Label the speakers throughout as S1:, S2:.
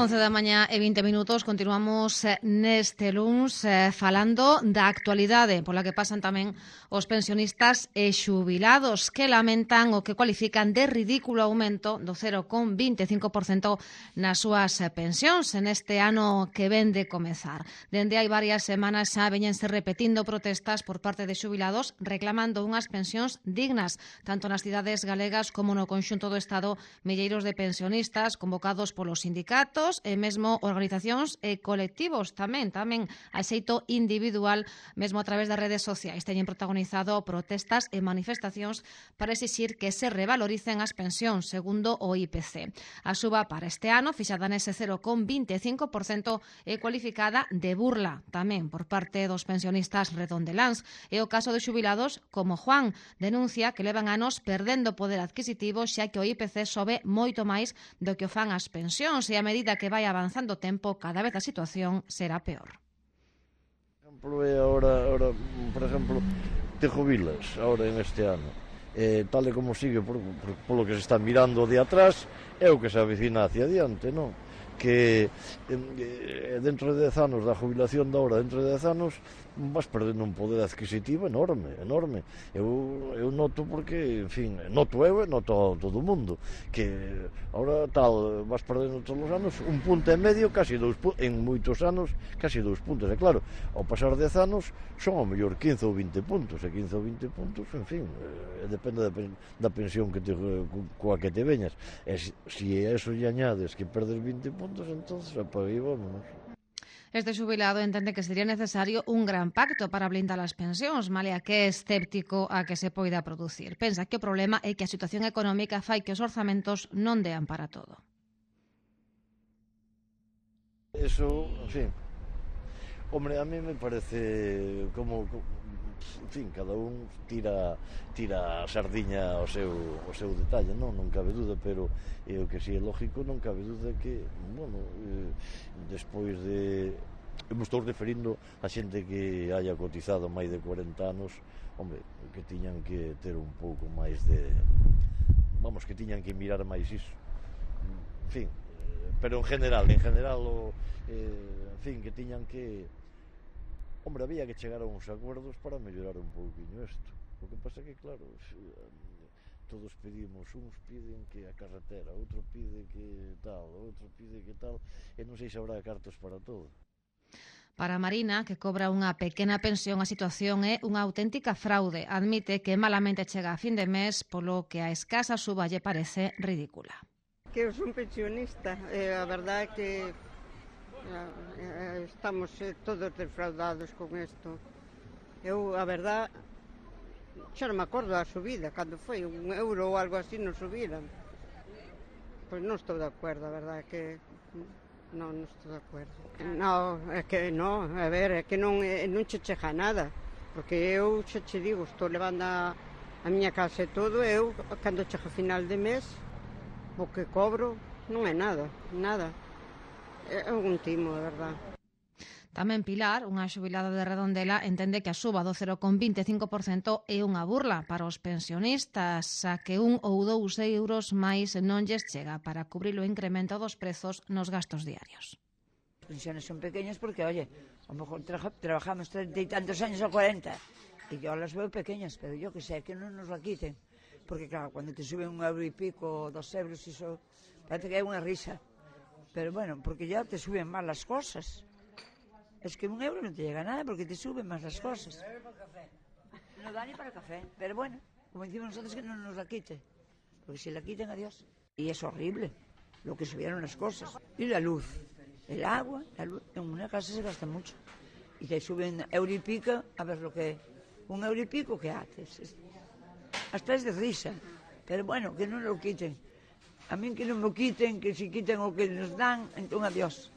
S1: 11 da mañá e 20 minutos, continuamos neste luns falando da actualidade pola que pasan tamén os pensionistas e xubilados que lamentan o que cualifican de ridículo aumento do 0,25% nas súas pensións en este ano que ven de comezar. Dende hai varias semanas xa veñense repetindo protestas por parte de xubilados reclamando unhas pensións dignas, tanto nas cidades galegas como no conxunto do Estado. Milleiros de pensionistas convocados polos sindicatos e mesmo organizacións e colectivos tamén a xeito individual, mesmo a través das redes sociais. Teñen protagonizado protestas e manifestacións para exixir que se revaloricen as pensións segundo o IPC. A suba para este ano, fixada nese 0,25%, é cualificada de burla tamén por parte dos pensionistas redondeláns. É o caso de xubilados como Juan, denuncia que levan anos perdendo poder adquisitivo xa que o IPC sobe moito máis do que o fan as pensións e a medida que vai avanzando o tempo, cada vez a situación será peor.
S2: Ahora, por exemplo, te jubilas ahora en este ano, tal e como sigue polo que se está mirando de atrás, é o que se avecina hacia adiante, non? Que dentro de 10 anos da jubilación da hora, dentro de 10 anos vas perdendo un poder adquisitivo enorme. Eu noto porque, en fin, noto eu e noto todo o mundo que ahora tal, vas perdendo todos os anos un punto e medio, casi en moitos anos, casi 2 puntos, e claro, ao pasar 10 anos son ao mellor 15 ou 20 puntos, e 15 ou 20 puntos, en fin, depende da pensión coa que te veñas, e se a eso lle añades que perdes 20 puntos, entonces apaga e vámonos.
S1: Este xubilado entende que sería necesario un gran pacto para blindar as pensións, malia que é escéptico a que se poida producir. Pensa que o problema é que a situación económica fai que os orzamentos non dean para todo.
S2: Eso, en fin, hombre, a mí me parece como en fin, cada un tira a sardiña ao seu detalle, non cabe dúda, pero o que si é lógico, non cabe dúda que, bueno, despois de... Eu me estou referindo a xente que haya cotizado máis de 40 anos, hombre, que tiñan que ter un pouco máis de... Vamos, que tiñan que mirar máis iso. En fin, pero en general, en fin, que tiñan que... Hombre, había que chegar a uns acuerdos para mellorar un pouquinho isto. O que pasa que, claro, todos pedimos, uns piden que a carretera, outro pide que tal, outro pide que tal, e non sei se habrá cartos para todo.
S1: Para Marina, que cobra unha pequena pensión, a situación é unha auténtica fraude. Admite que malamente chega a fin de mes, polo que a escasa suba lle parece ridícula.
S3: Que eu son pensionista, a verdade é que estamos todos defraudados con isto. Eu, a verdade, xa non me acordo da subida, cando foi, €1 ou algo así non subiran. Pois non estou de acordo, a verdade é que non estou de acordo. Non, é que non, a ver, é que non che chega nada, porque eu xa che digo, estou levando a miña casa e todo, eu, cando chega a final de mes, o que cobro non é nada. É un timo, de verdade.
S1: Tamén Pilar, unha xubilada de Redondela, entende que a suba do 0,25% é unha burla para os pensionistas, a que 1 ou 2 euros máis non lles chega para cubrir o incremento dos prezos nos gastos diarios.
S4: As pensiones son pequeñas porque, oye, a lo mejor trabajamos 30 y tantos años o 40 y yo las veo pequeñas, pero yo que sé, que non nos la quiten, porque claro, cuando te suben €1 y pico, 2 euros, eso parece que é unha risa. Pero bueno, porque ya te suben más las cosas. Es que €1 no te llega a nada porque te suben más las cosas. No da ni para café. Pero bueno, como decimos nosotros, que no nos la quite. Porque si la quiten, adiós. Y es horrible lo que subieron las cosas. Y la luz, el agua, la luz. En una casa se gasta mucho. Y te suben €1 y pico, a ver lo que... €1 y pico, ¿qué haces? Hasta es de risa. Pero bueno, que no lo quiten. A mí que non me quiten, que si quiten o que nos dan, entón adiós.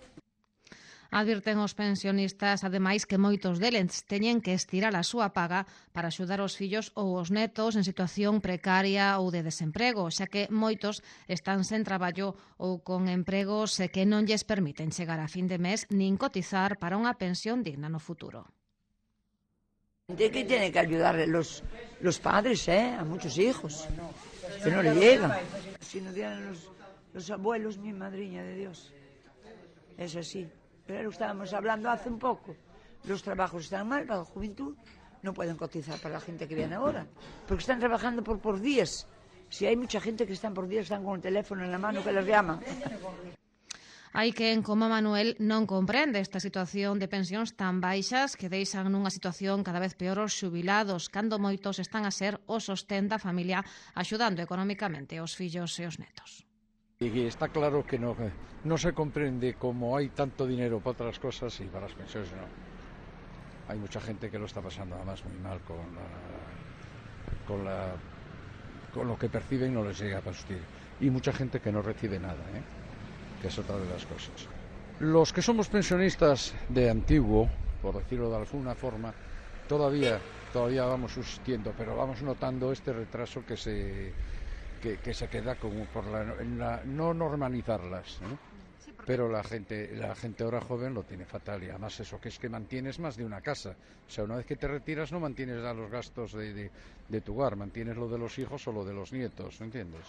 S1: Advirten os pensionistas, ademais, que moitos deles teñen que estirar a súa paga para axudar os fillos ou os netos en situación precaria ou de desemprego, xa que moitos están sen traballo ou con empregos que non lles permiten chegar a fin de mes nin cotizar para unha pensión digna no futuro.
S4: De que tiene que ayudar los padres, a muchos hijos, que no le llegan. Si no dieran los abuelos, mi madriña de Dios. Eso sí. Pero lo estábamos hablando hace un poco. Los trabajos están mal para la juventud, no pueden cotizar para la gente que viene ahora, porque están trabajando por días. Si hay mucha gente que están por días, están con el teléfono en la mano que les llama.
S1: Hai quen, como Manuel, non comprende esta situación de pensións tan baixas que deixan nunha situación cada vez peor os xubilados, cando moitos están a ser o sostén da familia axudando económicamente os fillos e os netos.
S5: Y está claro que no se comprende cómo hay tanto dinero para otras cosas y para las pensiones no. Hay mucha gente que lo está pasando además muy mal con lo que perciben, no les llega a subsistir. Y mucha gente que no recibe nada, que es otra de las cosas. Los que somos pensionistas de antiguo, por decirlo de alguna forma, todavía vamos subsistiendo, pero vamos notando este retraso que se queda como por no normalizarlas, pero la gente ahora joven lo tiene fatal y además eso que es que mantienes más de una casa, o sea, una vez que te retiras no mantienes ya los gastos de tu hogar, mantienes lo de los hijos o lo de los nietos, ¿entiendes?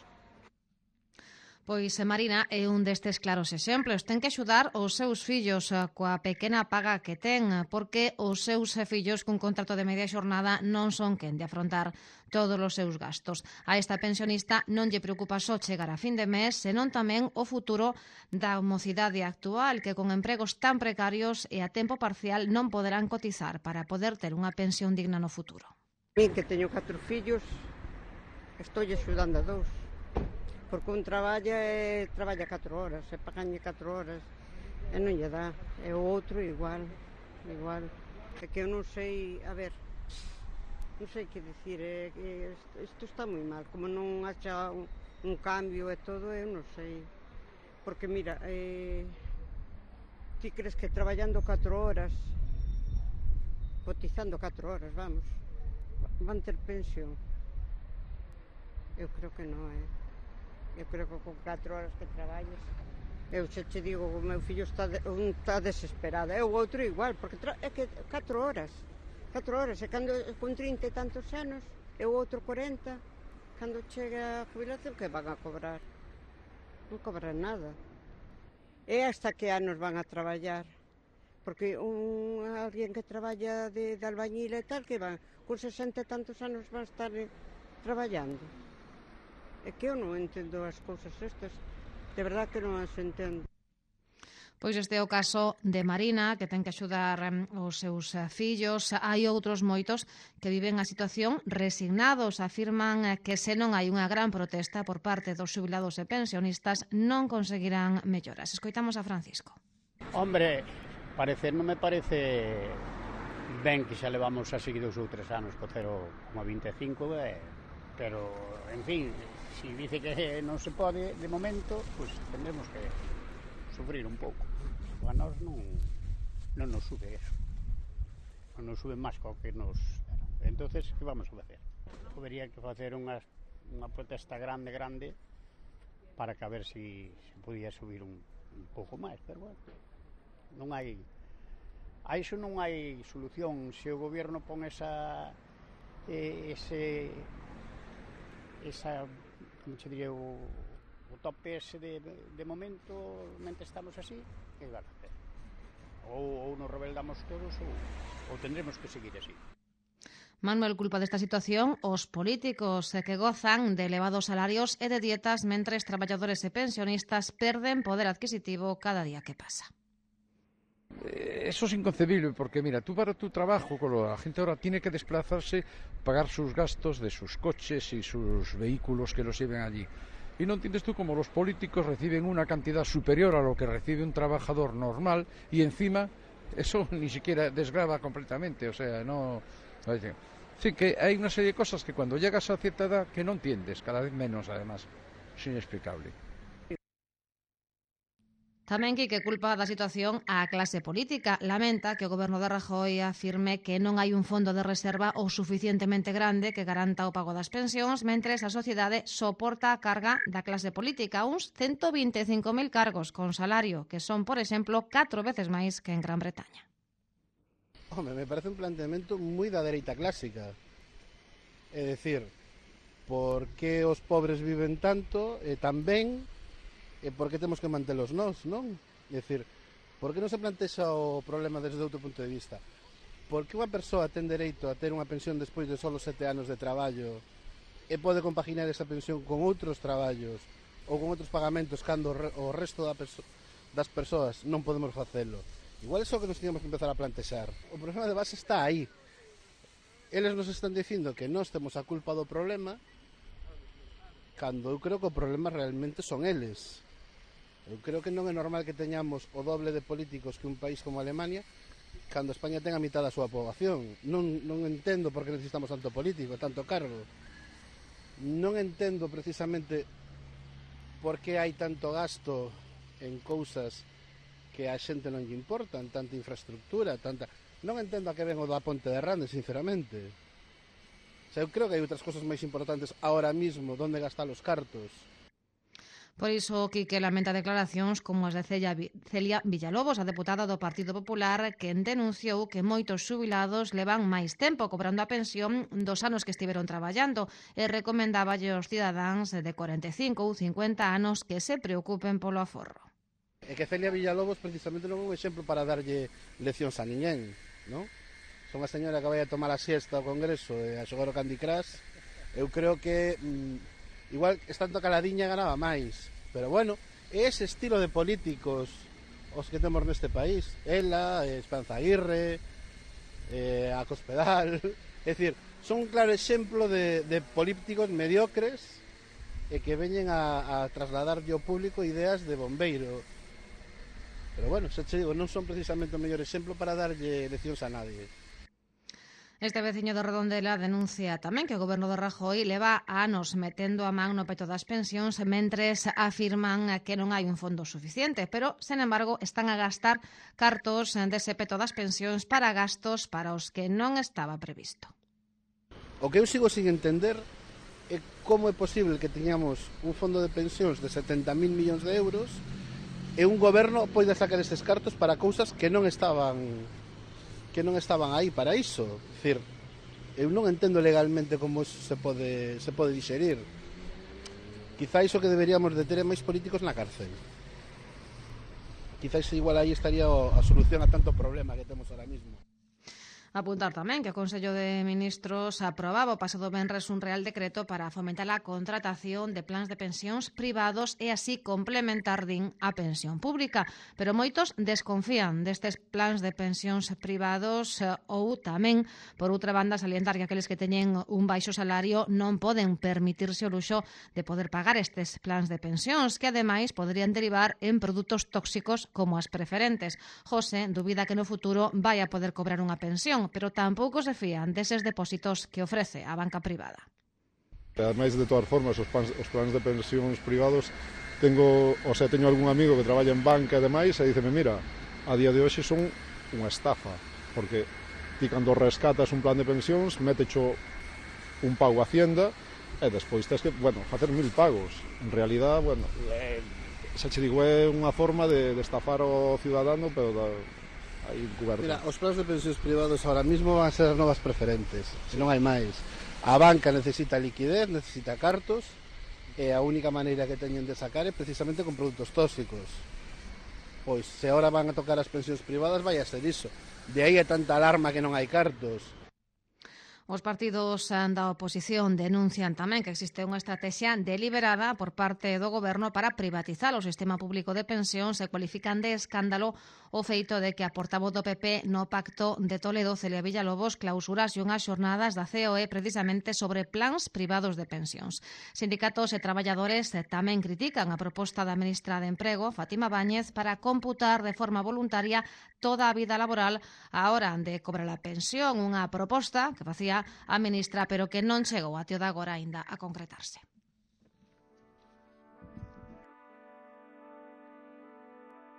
S1: Pois Marina é un destes claros exemplos. Ten que axudar os seus fillos coa pequena paga que ten, porque os seus fillos cun contrato de media xornada non son quen de afrontar todos os seus gastos. A esta pensionista non lle preocupa só chegar a fin de mes, senón tamén o futuro da mocidade actual, que con empregos tan precarios e a tempo parcial non poderán cotizar para poder ter unha pensión digna no futuro.
S3: Mi, que teño 4 fillos, estou axudando a 2. Porque un traballa 4 horas, e paganlle 4 horas, e non lle dá. E o outro igual. É que eu non sei, a ver, non sei que dicir, isto está moi mal, como non haxa un cambio e todo, eu non sei. Porque mira, ti crees que traballando 4 horas, cotizando 4 horas, vamos, van ter pensión? Eu creo que non, Eu creo que con 4 horas que traballes, eu xa che digo, o meu fillo está desesperado, e o outro igual, porque é que 4 horas, e cando con 30 e tantos anos, e o outro 40, cando chega a jubilación, que van a cobrar? Non cobran nada. E hasta que anos van a traballar? Porque alguén que traballa de albañil e tal, que van, con 60 e tantos anos van a estar traballando. É que eu non entendo as cousas estas, de verdad que non as entendo.
S1: Pois este é o caso de Marina, que ten que axudar os seus fillos. Hai outros moitos que viven a situación resignados. Afirman que se non hai unha gran protesta por parte dos xubilados e pensionistas non conseguirán melloras. Escoitamos a Francisco.
S6: Hombre, non me parece ben que xa levamos así 2 ou 3 anos co 0,25, pero, en fin, si dice que non se pode de momento, pues tendremos que sufrir un pouco. A nós non nos sube eso, non nos sube máis co que nos deron. Entonces, que vamos a facer? Habería que facer unha protesta grande para que a ver si podía subir un pouco máis, pero bueno, non hai a iso non hai solución. Se o goberno pon esa como che diría, o tope ese de momento, mente estamos así, que van a hacer? Ou nos rebeldamos todos ou tendremos que seguir así.
S1: Manuel culpa desta situación os políticos que gozan de elevados salarios e de dietas mentres traballadores e pensionistas perden poder adquisitivo cada día que pasa.
S5: Eso es inconcebible porque mira, tú para tu trabajo, la gente ahora tiene que desplazarse, pagar sus gastos de sus coches y sus vehículos que los lleven allí. Y no entiendes tú cómo los políticos reciben una cantidad superior a lo que recibe un trabajador normal y encima eso ni siquiera desgrava completamente, o sea, no... Sí, que hay una serie de cosas que cuando llegas a cierta edad que no entiendes, cada vez menos además, es inexplicable.
S1: Tamén Quique culpa da situación á clase política. Lamenta que o goberno de Rajoy afirme que non hai un fondo de reserva o suficientemente grande que garanta o pago das pensións, mentres a sociedade soporta a carga da clase política, uns 125.000 cargos con salario, que son, por exemplo, 4 veces máis que en Gran Bretaña.
S7: Home, me parece un planteamento moi da dereita clásica. É dicir, por que os pobres viven tanto e tan ben, e por que temos que mantelos nós, non? É dicir, Por que non se plantexa o problema desde outro punto de vista? Por que unha persoa ten dereito a ter unha pensión despois de solo 7 anos de traballo e pode compaginar esa pensión con outros traballos ou con outros pagamentos cando o resto das persoas non podemos facelo? Igual é só que nos teníamos que empezar a plantexar. O problema de base está aí. Eles nos están dicindo que nós temos a culpa do problema, cando eu creo que o problema realmente son eles. Eu creo que non é normal que teñamos o doble de políticos que un país como Alemania, cando España ten a mitad da súa poboación. Non entendo por que necesitamos tanto político, tanto cargo. Non entendo precisamente por que hai tanto gasto en cousas que a xente non lle importan, tanta infraestructura, tanta... Non entendo a que ven o da Ponte de Rande, sinceramente. O sea, eu creo que hai outras cosas máis importantes ahora mismo, donde gastar os cartos.
S1: Por iso, Quique lamenta declaracións como as de Celia Villalobos, a deputada do Partido Popular, que denunciou que moitos xubilados levan máis tempo cobrando a pensión dos anos que estiveron traballando e recomendáballe aos cidadáns de 45 ou 50 anos que se preocupen polo aforro.
S7: É que Celia Villalobos precisamente non é un exemplo para darlle leccións a ninguén, non? Son unha señora que vai a tomar a siesta ao Congreso e a xogar o Candy Crush. Eu creo que igual estando caladiña ganaba máis, pero bueno, é ese estilo de políticos os que temos neste país. Ela, Esperanza Aguirre, a Cospedal, é dicir, son un claro exemplo de políticos mediocres e que veñen a trasladarlle ao público ideas de bombeiro. Pero bueno, xa che digo, non son precisamente o mellor exemplo para darlle leccións a nadie.
S1: Este veciño de Redondela denuncia tamén que o goberno de Rajoy leva anos metendo a man no peto das pensións mentres afirman que non hai un fondo suficiente, pero, sen embargo, están a gastar cartos dese peto das pensións para gastos para os que non estaba previsto.
S7: O que eu sigo sin entender é como é posible que teñamos un fondo de pensións de 70.000 millóns de euros e un goberno poida sacar estes cartos para cousas que non estaban aí para iso. É dicir, eu non entendo legalmente como se pode dixerir. Quizáis o que deberíamos de ter é máis políticos na cárcel. Quizáis igual aí estaría a solución a tanto problema que temos ahora mismo.
S1: Apuntar tamén que o Consello de Ministros aprobaba o pasado venres un real decreto para fomentar a contratación de plans de pensións privados e así complementar, din, a pensión pública. Pero moitos desconfían destes plans de pensións privados ou tamén, por outra banda, salientar que aqueles que teñen un baixo salario non poden permitirse o luxo de poder pagar estes plans de pensións, que ademais poderían derivar en produtos tóxicos como as preferentes. José dubida que no futuro vai a poder cobrar unha pensión, pero tampouco se fían deses depósitos que ofrece a banca privada.
S8: Ademais, de todas formas, os plans de pensións privados, teño algún amigo que traballa en banca e demais e díceme, mira, a día de hoxe son unha estafa, porque ti cando rescatas un plan de pensións, métecho un pago a Hacienda e despois tens que, facer 1000 pagos. En realidad, xa che digo, é unha forma de estafar ao ciudadano, pero aí encuberto.
S7: Mira, os plans de pensións privados ahora mismo van a ser as novas preferentes, se non hai máis. A banca necesita liquidez, necesita cartos, e a única maneira que teñen de sacar é precisamente con produtos tóxicos. Pois, se agora van a tocar as pensións privadas, vai a ser iso. De aí é tanta alarma que non hai cartos.
S1: Os partidos da oposición denuncian tamén que existe unha estrategia deliberada por parte do goberno para privatizar o sistema público de pensións e cualifican de escándalo o feito de que a portavoz do PP no Pacto de Toledo, Celia Villalobos, clausurase unhas xornadas da COE precisamente sobre plans privados de pensións. Sindicatos e traballadores tamén critican a proposta da ministra de Emprego, Fátima Báñez, para computar de forma voluntaria toda a vida laboral á hora de cobrar a pensión, unha proposta que facía a ministra, pero que non chegou até o de agora aínda a concretarse.